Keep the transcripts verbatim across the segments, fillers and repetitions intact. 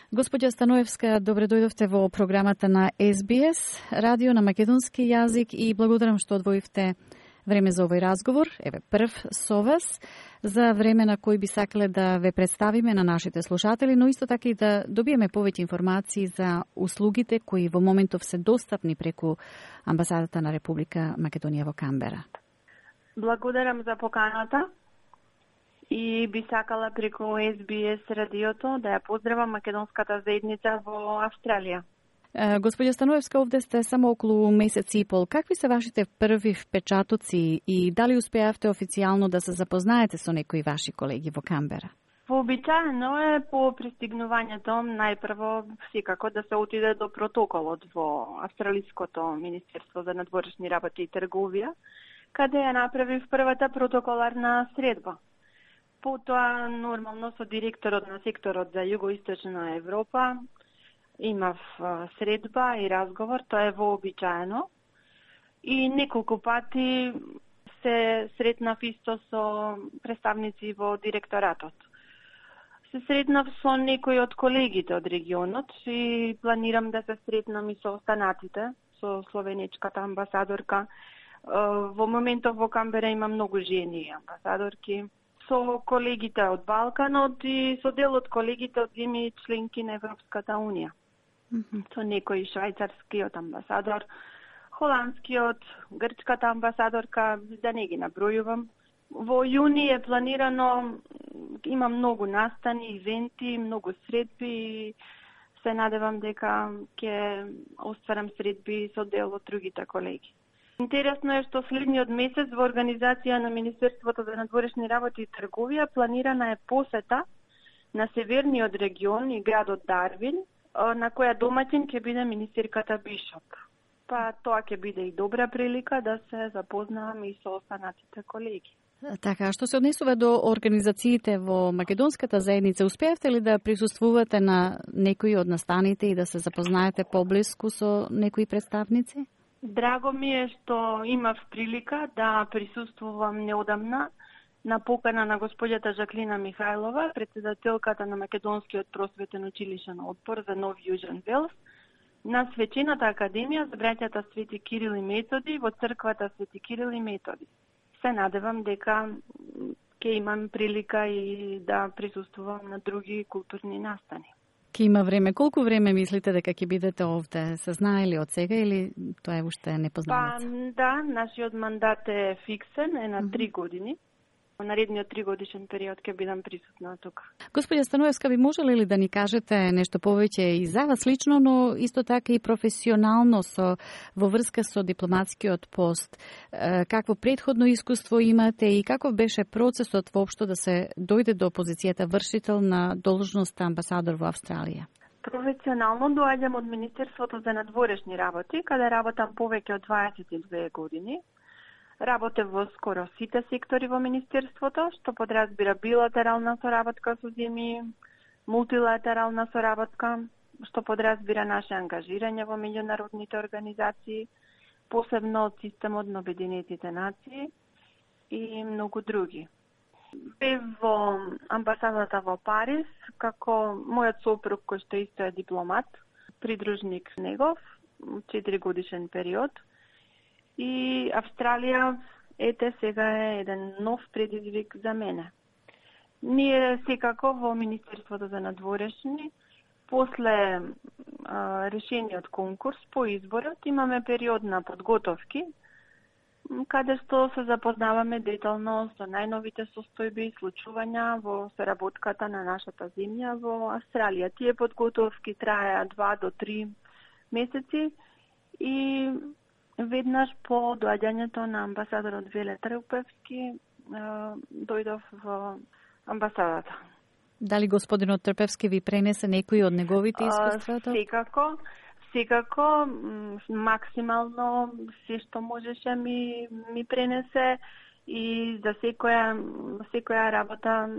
Господја Станоевска, добре дојдовте во програмата на Ес Би Ес, радио на македонски јазик, и благодарам што одвоивте време за овој разговор. Еве, прв со вас, за време на кој би сакале да ве представиме на нашите слушатели, но исто така и да добиеме повеќе информации за услугите кои во моментов се достапни преку Амбасадата на Република Македонија во Камбера. Благодарам за поканата и би сакала преку Ес Би Ес радиото да ја поздравам македонската заедница во Австралија. Господја Станоевска, овде сте само околу месец и пол. Какви се вашите први впечатоци и дали успеавте официјално да се запознаете со некои ваши колеги во Камбера? Вообичаено е по пристигнувањето најпрво секако да се отиде до протоколот во Австралиското Министерство за надворешни работи и трговија, каде ја направив првата протоколарна средба. Потоа, нормално, со директорот на секторот за Југоисточна Европа имав средба и разговор, тоа е вообичаено. И неколку пати се сретнав исто со представници во директоратот. Се сретнав со некои од колегите од регионот и планирам да се сретнам и со останатите, со словенечката амбасадорка. Во моментов во Камбера има многу жени амбасадорки, со колегите од Балканот и со дел од колегите од земји членки на Европската Унија. Mm-hmm. Со некој швајцарскиот амбасадор, холандскиот, грчката амбасадорка, да не ги набројувам. Во јуни е планирано, има многу настани, ивенти, многу средби и се надевам дека ќе остварам средби со дел од другите колеги. Интересно е што следниот месец во организација на Министерството за надворешни работи и трговија планирана е посета на северниот регион и градот Дарвин, на која домаќин ќе биде министерката Бишоп. Па тоа ќе биде и добра прилика да се запознаваме и со останатите колеги. Така, што се однесува до организациите во македонската заедница, успеавте ли да присуствувате на некои од настаните и да се запознаете поблиску со некои представници? Драго ми е што имав прилика да присуствувам неодамна на покана на господјата Жаклина Михајлова, председателката на Македонскиот просветен училишен одбор за Нов Јужен Велс, на Свечената академија за браќата Свети Кирил и Методи во црквата Свети Кирил и Методи. Се надевам дека ќе имам прилика и да присуствувам на други културни настани. Ке има време. Колку време мислите дека ќе бидете овде? Се знае ли од сега или тоа е уште непознаница? Па, да, нашиот мандат е фиксен, е на три години. Наредниот тригодишен период ќе бидам присутна тука. Господја Станоевска, би можеле ли да ни кажете нешто повеќе и за вас лично, но исто така и професионално со во врска со дипломатскиот пост? Какво предходно искуство имате и каков беше процесот воопшто да се дојде до позицијата вршител на должноста амбасадор во Австралија? Професионално доаѓам од Министерството за надворешни работи, каде работам повеќе од дваесет и две години. Работев во скоро сите сектори во Министерството, што подразбира билатерална соработка со земји, мултилатерална соработка, што подразбира наше ангажирање во меѓународните организации, посебно од системот на Обединетите нации и многу други. Бев во амбасадата во Париз, како мојот сопруг кој што исто е дипломат, придружник негов, четири годишен период. И Австралија, ете, сега е еден нов предизвик за мене. Ние секако во Министерството за надворешни, после а, решениот конкурс по изборот, имаме период на подготовки, каде што се запознаваме детално со најновите состојби и случувања во соработката на нашата земја во Австралија. Тие подготовки траеа два до три месеци и веднаш по доаѓањето на амбасадорот Веле Трпевски дојдов во амбасадата. Дали господинот Трпевски ви пренесе некои од неговите искуства? Секако, секако, максимално се што можеше ми, ми пренесе и за секоја, секоја работа,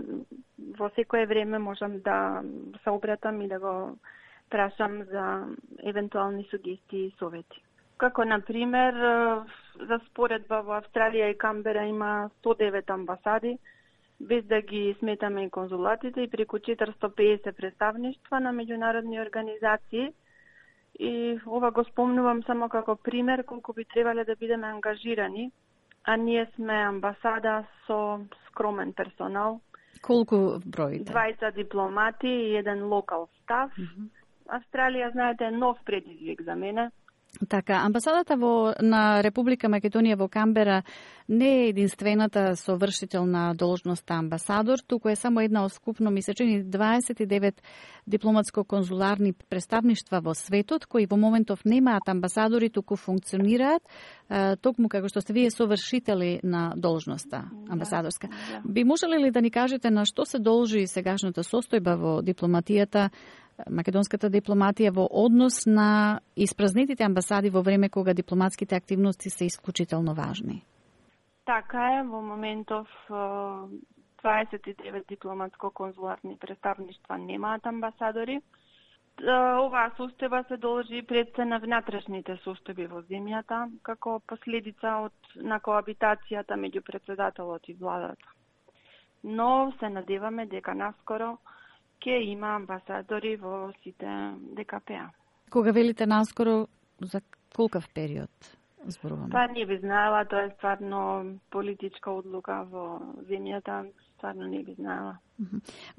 во секое време можам да се обратам и да го прашам за евентуални сугестии и совети. Како, например, за споредба во Австралија и Камбера има сто девет амбасади, без да ги сметаме и конзулатите, и преку четиристо и песет представништва на меѓународни организации. И ова го спомнувам само како пример колку би требале да бидеме ангажирани, а ние сме амбасада со скромен персонал. Колку броите? дваесет дипломати и еден локал стаф. Mm-hmm. Австралија, знаете, е нов предизвик за мене. Така, амбасадата во, на Република Македонија во Камбера не е единствената совршителна должност амбасадор, туку е само една од скупно месечени дваесет и девет дипломатско-конзуларни представништва во светот, кои во моментов немаат амбасадори, туку функционираат, е, токму како што сте вие совршители на должноста амбасадорска. Да, да. Би можеле ли да ни кажете на што се должи сегашната состојба во дипломатијата, македонската дипломатија во однос на испразнетите амбасади во време кога дипломатските активности се исклучително важни? Така е, во моментов дваесет и девет дипломатско-конзуларни представништва немаат амбасадори. Оваа состојба се должи пред се на внатрешните состојби во земјата, како последица од на коабитацијата меѓу претседателот и владата. Но се надеваме дека наскоро ќе има амбасадори во сите Д К П А. Кога велите наскоро, за колкав период зборуваме? Па не би знаела, тоа е стварно политичка одлука во земјата, стварно не би знаела.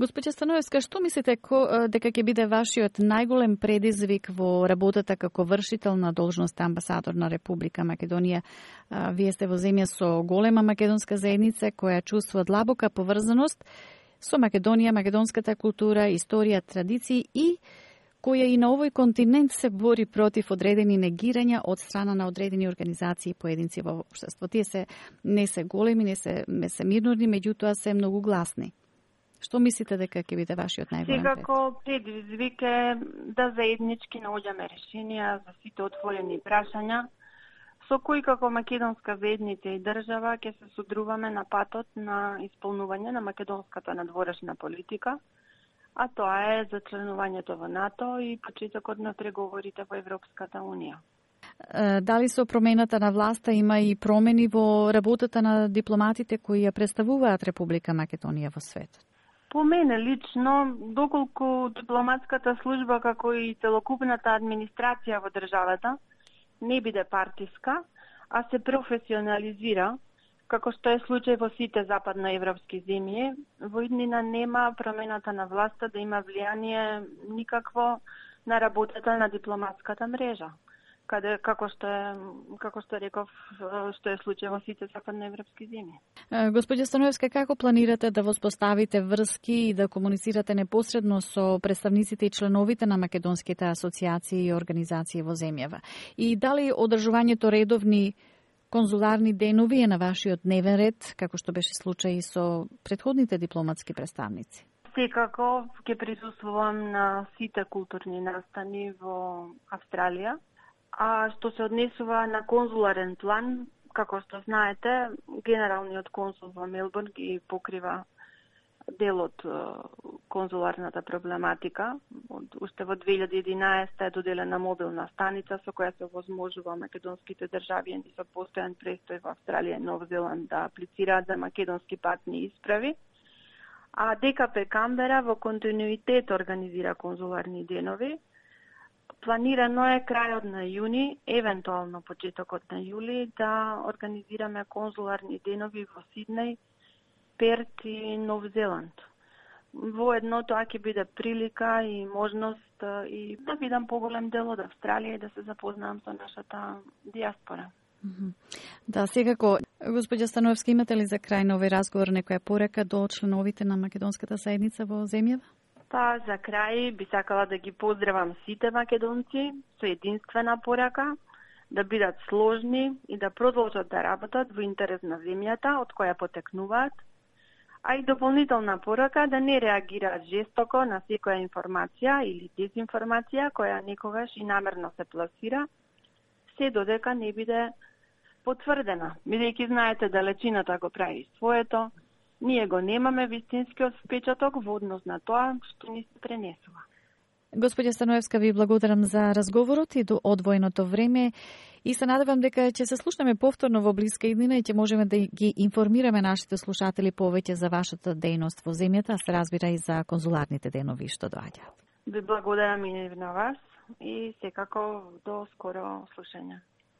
Госпоѓа Становевска, што мислите ко, дека ќе биде вашиот најголем предизвик во работата како вршител на должност амбасадор на Република Македонија? Вие сте во земја со голема македонска заедница која чувствува длабока поврзаност со Македонија, македонската култура, историја, традиции и која и на овој континент се бори против одредени негирања од страна на одредени организации и поединци во општество. Тие се не се големи, не се, не се мирнорни, меѓутоа се многу гласни. Што мислите дека ќе биде вашиот најголем предизвик? Секако предизвик е да заеднички наоѓаме решенија за сите отворени прашања, со кои како македонска заедница и држава ќе се содруваме на патот на исполнување на македонската надворешна политика, а тоа е за членувањето во НАТО и почетокот на преговорите во Европската Унија. Дали со промената на власта има и промени во работата на дипломатите кои ја представуваат Република Македонија во светот? По мене лично, доколку дипломатската служба како и целокупната администрација во државата не биде партиска, а се професионализира, како што е случај во сите западноевропски земји, во иднина нема промената на власта да има влијание никакво на работата на дипломатската мрежа, каде како што е како што реков, што е случај во сите западноевропски земји. Господја Становевска, како планирате да воспоставите врски и да комуницирате непосредно со представниците и членовите на македонските асоциации и организации во земјава? И дали одржувањето редовни конзуларни денови е на вашиот дневен ред, како што беше случај со претходните дипломатски представници? Секако ќе присуствувам на сите културни настани во Австралија. А што се однесува на конзуларен план, како што знаете, генералниот консул во Мелбурн ги покрива дел од конзуларната проблематика. Уште во две илјади и единаесета е доделена мобилна станица со која се овозможува македонските државјани со постојан престој во Австралија и Нов Зеланд да аплицираат за македонски патни исправи. А Д К П Камбера во континуитет организира конзуларни денови. Планирано е крајот на јуни, евентуално почетокот на јули, да организираме конзуларни денови во Сиднеј, Перт и Нов Зеланд. Воедно тоа ќе биде прилика и можност и да видам поголем дел од Австралија и да се запознам со нашата диаспора. Да, секако. Господја Становевска, имате ли за крај на овој разговор некоја порека до членовите на македонската заедница во земјава? Па, за крај би сакала да ги поздравам сите македонци со единствена порака, да бидат сложни и да продолжат да работат во интерес на земјата од која потекнуваат, а и дополнителна порака да не реагираат жестоко на секоја информација или дезинформација која некогаш и намерно се пласира, се додека не биде потврдена. Бидејќи знаете да лечината го прави своето, ние го немаме вистинскиот впечаток во однос на тоа што ни се пренесува. Господја Станоевска, ви благодарам за разговорот и до одвоеното време и се надевам дека ќе се слушнеме повторно во блиска иднина и ќе можеме да ги информираме нашите слушатели повеќе за вашата дејност во земјата, а се разбира и за конзуларните денови што доаѓаат. Ви благодарам и на вас и секако до скоро слушање.